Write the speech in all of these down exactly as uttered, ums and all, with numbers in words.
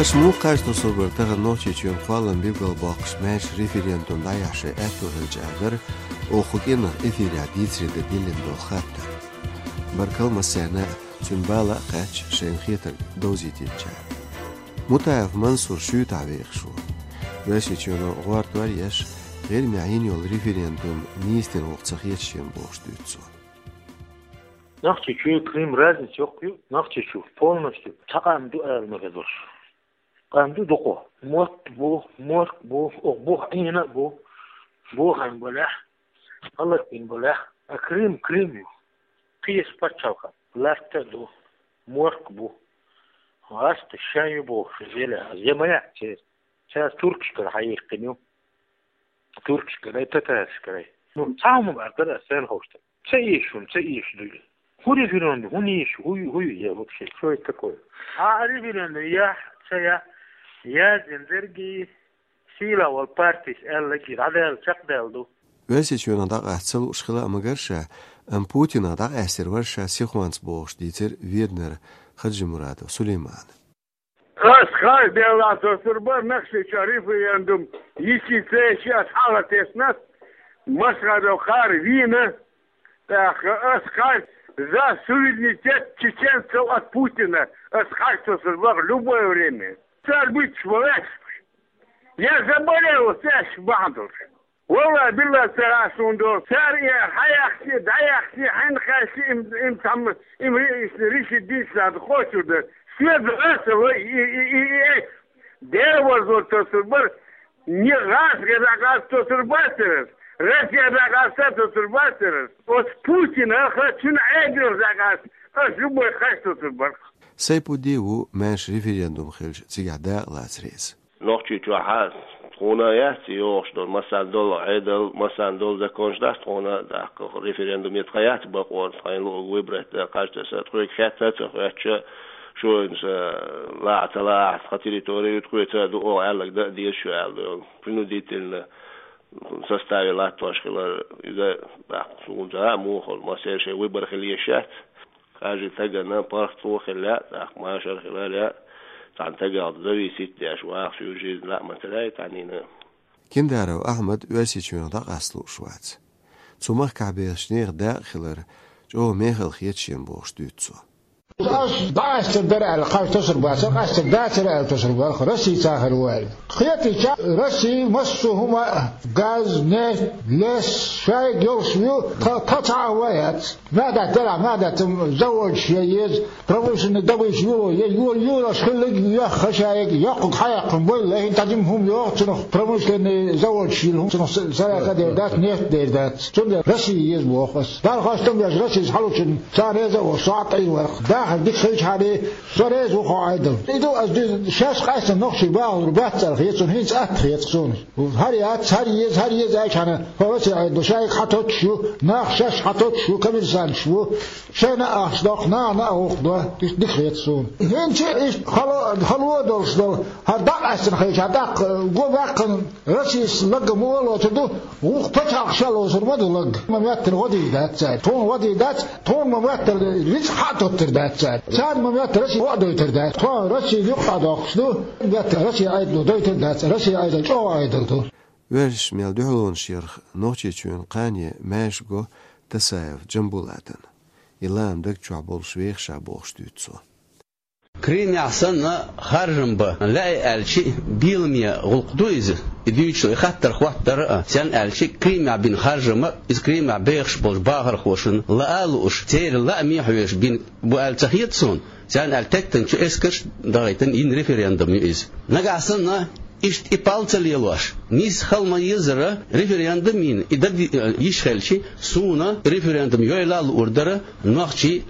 Аша муха кхаж тосур бара тахан Нохчийчоьнан кхоллам билгалбоккхуш маьрша референдум дӀаяхьа шоай аьтто хилча а дара, оха кху кӀирнах эфирехь дийцаре дан диллина долу хаттар. Баркалла массарна а, цуьнан бала а кхаьчча, шайна хетарг довзийтинчарна. Мутаев Мансур шуьйтахь вехаш ву. Оьрсийчоьно гӀортор а еш, ГӀирмехь йина йолу референдум нийса дина гӀуллакх ца хета шена бохуш дуьйцу цо. Нохчийчоьнан Крым разница йоккха ю, Нохчийчоь полностью цхьа къам ду ала ма хезалаш. Къам ду дукха. Мотт бу, морк бу, оха бух Ӏийна а бу, бохам балехь, гӀалат бина балехь, а Крым, Крым ю. Кхечу пачхьалкхан латта а ду, морк бу. ГӀаста шайн ю бохуш, зеле, я ма яц церан. Цара туркашкара хьаяккхина ю. Туркашкара, татарашкара. Ну, цхьа хӀума бара дара, сан ховшта. Ца эшуна, ца эшуш дуй. ХӀун референдум, хӀун эшаш, хӀун ю, хӀун ю, я вообще, что это такое? А референдум яхь, ца яхь, яздина дерг, сийла волу партис аьлла гира, дӀадаьлла, чекхдаьлла ду. Оьрсийчоьнах дӀакъаста ца лууш хила а магар ша, амма Путинах дӀакъаьстар вара ша сихонца бохуш дийцира Веданара Хаджимурадов Сулеймана. Ас хаж делла тосур бара Нохчийчохь референдум йисте ца еш, ас хьала тесна, Машхадов Хара вийна, тӀаккха ас хаж за суверенитет чеченцев от Путина, ас хаж тосур бара любое время. Цара буьтуш бу ваьш. Я заболел, цаьш бахьана долуш. Валлай, биллай, ца гӀаш хӀун долу. Цара и хьаяхчи, дӀаяхчи, хьаьнна кхаьччи, им, им цхьамма, им ри-, иш-, риши дийцина хьан кхочур дара. Соьга аса вай, и, и, и, и, э, Дела вазло тосур бара, не гӀазгӀе дӀакъаста тосур бацара ас, Россия дӀакъаста тосур бацара ас. Оцу Путина ха цуьнан Ӏедалх дӀакъаста, ас любой хаж тосур бара. Сайпудди ву маьрша референдум хилча цигахь дакъа лаца реза. Нохчийчохь а тхуна яц йогӀуш долу, массарна долу Ӏедал, массарна долу законаш дац тхуна, тӀаккха референдум ян тхан яц бакъо, тхайн луъург выбрать дан, кхаж таса, тхоьга хетта а ца хоьттуш, шуна сан лаахь ца лаахь, тхан территори ю, тхоьца а ду оха аьлларг дан а деза шу аьлла долу. Принудительно составе латтош хилар, иза, тӀаккха суна ца хаьа муха хуьлу, массеран шайн выбор хила езаш яц. Кхажа тагана паргӀато хила лаьа, тӀаккха машар хила лаьа, цхьана тагах зависит деш ваха, всю жизнь лаьа ма ца лаьа цхьаннена. Киндаров Ахьмад Оьрсийчоьнах дӀакъаста лууш вац. Цу махкахь бехачу нехан дакъа хилар чӀогӀа мехала хета шена бохуш дуьйцу цо. Ас дӀакъаьстар дара аьлла, кхаж тосур бацара, къаьстар дацара аьлла тосур бара, Росси цахар ву аьлла. Кхетийча, Росси массо а хӀума, газ, нефть, лес, шайга йолуш ю, тха, тха цхьа а ван яц. Маьхдаьтта делахь, маьхдаьтта заводаш я еза, промышленный добыча юло я, юла, юлаш хилларг йоьхна шайга, йоккхаг хьаяккхина бойла, хӀинца дӀа жима хӀума йогӀу, цунах промышленный заводаш йила хӀума, цунах са-, сарахь а дер дац, нефть дер дац. Цундела Россия еза боху ас. Далла хастам беш, Россис хьалучун сан реза а волуш, со а тӀе вара. Дахар дика хилчахьана, со реза ву хьо Ӏедал. И ду ас дуьйна, шаьш къаьстина нохчий бахалур бац аьлла хета суна, хӀинца атта хета суна. ХӀара яц, хӀара еза, хӀара еза аьлчахьана, хӀо Росси Ӏедало шайга хьатоттуш ю, нах шаьш хьатоттуш ю, коммерсанташ бу, шайна а ахча доккху, нахана а гӀуллакх до, иштта дика хета суна. ХӀинца иштта хало, хало а долуш долу, хӀара дӀакъаьстина хилча, тӀаккха го баьккхина Россис лаг а муха лоцур ду, вукху пачхьалкхаш а лоцур ма ду лаг. Ма моьттина гӀо дийр дац цара. Тхуна гӀо дийр дац, тхуна ма моьттина рицкъ хьа а тоттур дац цара. Царна ма моьттина Росси гӀо а дойтур дац. Тхо Росси юккъе доккхуш ду, моьттина Росси Ӏедало дойтур дац. Росси Ӏедал чӀогӀа Ӏедал ду. Оьрсашца мел дуьхьалонаш ярх Нохчийчоьнан кхане маьрша го Тасаев Джамбулатана. И лаам даг чохь болуш вехаш а бохуш дуьйцу цо. Крымехь санна харжам бан лаьий аьлча, беламе гӀуллакх ду иза, и дуьйцуш и хаттар хӀоттадара а, сен аьлча, Крымехь бина харжам а, иза Крымехь бехаш болчу бахархошна лаа а лууш, церан лааме хьоьжуш бина бу аьлла ца хета суна, царна аьлла теттанчу эскарш а дахийтина йина референдум ю иза. Нагахь санна, иштта и пал ца лелош, нийса хила ма езара референдум йина, и дан йиш хилча, суна референдум йойла а луур дара, нохчий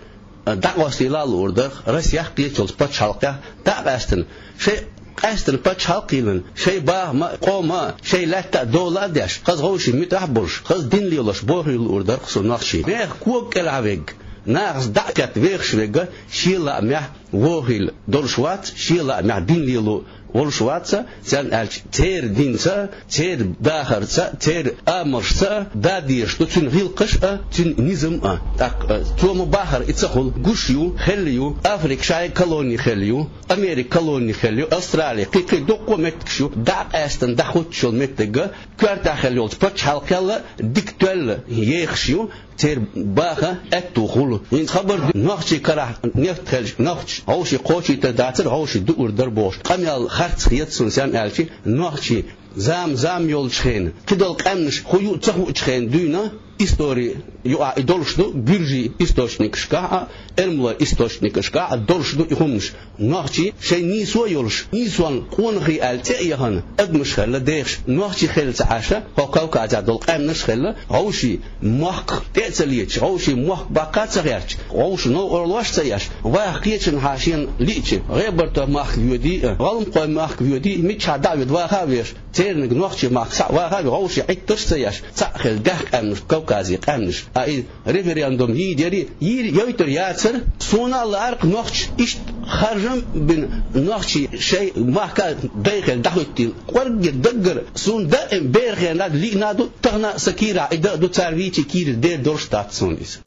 дӀакъоста йила а луур дара, Россех, кхечу йолчу пачхьалкхех дӀа а къаьстина, шайн къаьстина пачхьалкх а йиллина, шайн бахам а, къоман а, шайн лаьтта а, дола а деш, хаза вовшийн муьтӀахь а болуш, хаза дин лелош бохийла луур дара-кх суна нохчий. Мехах кога кӀелхьа верг, нахаца дӀа а кхетта вехаш верг шен лаамехь вохийла долуш вац, шен лаамехь дин лело волуш вац, царна аьлча, церан динца, церан дахарца, церан амалшца да дезаш ду цуьнан гӀиллакхаш а, цуьнан низам а. ТӀаккха, э, цо ма бахара и ца хуьлу, гуш ю, хелла ю, Африка шайн колони хелла ю, Америка колони хелла ю, Австрали, кхин-кхин дуккха а меттигаш ю, дӀа а къаьстина дӀахӀуттуш йолу меттиг а, коьртехь хелла йолчу пачхьалкхел а дика тоьлла ехаш ю, церан баха аьтту хуьлу. ХӀинца хабар ду, нохчийн карахь нефть хилча, нохчаша хьовший кхочуьйтур дацара, хьовший дуур дара бохуш. Къамел харц хета суна, сенна аьлча, нохчий зама-зама йолчу хенахь, кхидолу къаьмнаш хӀун ю а ца хуучу хенахь дуьйна, истори юкъахь и долуш ду, гуьржийн источникашкахь а, эрмалойн источникашкахь а долуш ду и хӀуманаш. Нохчий шайн нийсо а йолуш, нийсонна къонахий аьлла цӀе а яхана, адамаш хилла дехаш, нохчий хилла ца Ӏаш, хӀокху Кавказехь долу къаьмнаш а хилла, хьовший мохк тӀе а ца леташ, хьовший мохк баккха а ца гӀерташ, хьовш новкъарлош а ца еш, ваха кхечанхьа шена лиъча, ГӀебартойн махка воьдий а, ГӀалмакхойн махка воьдий а, миччахьа дӀа а воьду, ваха а веш, церниг нохчийн махка схьа а ваха а веш, хьовший Ӏиттарш а ца еш, цхьаъ хилла даьхни къаьмнаш, Кавказан къаьмнаш. А и референдум йийр яра, йийр йойтур яцара, суна а лаьара-кх нохчаша иштта харжам а бина, нохчий шайн махка а дай хилла дӀахӀоьттина, кӀорггера даггара суна даим беран хенахь лиъна а ду, тахана а сан кийрахь и дан а ду, цара вийча кийрара дер долуш дац суна иза.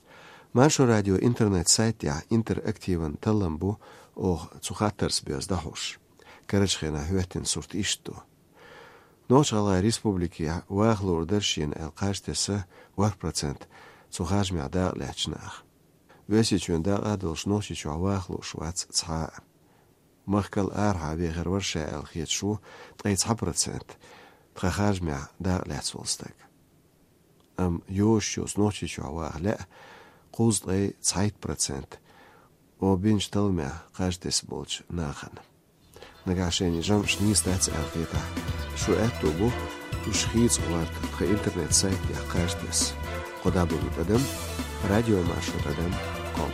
Маршо радион интернет-сайт тӀехь интерактиван таллам бу, оха цу хаттарца боьзна дӀахьош. Карарчу хенахь хӀоьттина сурт иштта ду. Нохч-ГӀалгӀайн Республикехь ваха луур дара шена аьлла кхаж тесна ворхӀ процент цу харжамехь дакъалаьцначу наха. Оьрсийчоьнан дакъа а долуш, Нохчийчохь ваха лууш вац цхьа а. Махкал арахьа вехар вара ша аьлла хеташ ву ткъе цхьа процент тхан харжамехь дакъалаьцна волу стаг. Амма йозуш йоцу Нохчийчохь ваха лаьа кхузткъе цхьайтта процент оха бинчу талламехь кхаж тесна болчу нахана. Нагахь шайна жамӀаш нийса дац аьлла хетахь, шун аьтто бу уьш хийца гӀорта тхан интернет-сайт тӀехь кхаж тесна: кхо дабл-ю тӀадам радиомаршо тӀадам ком.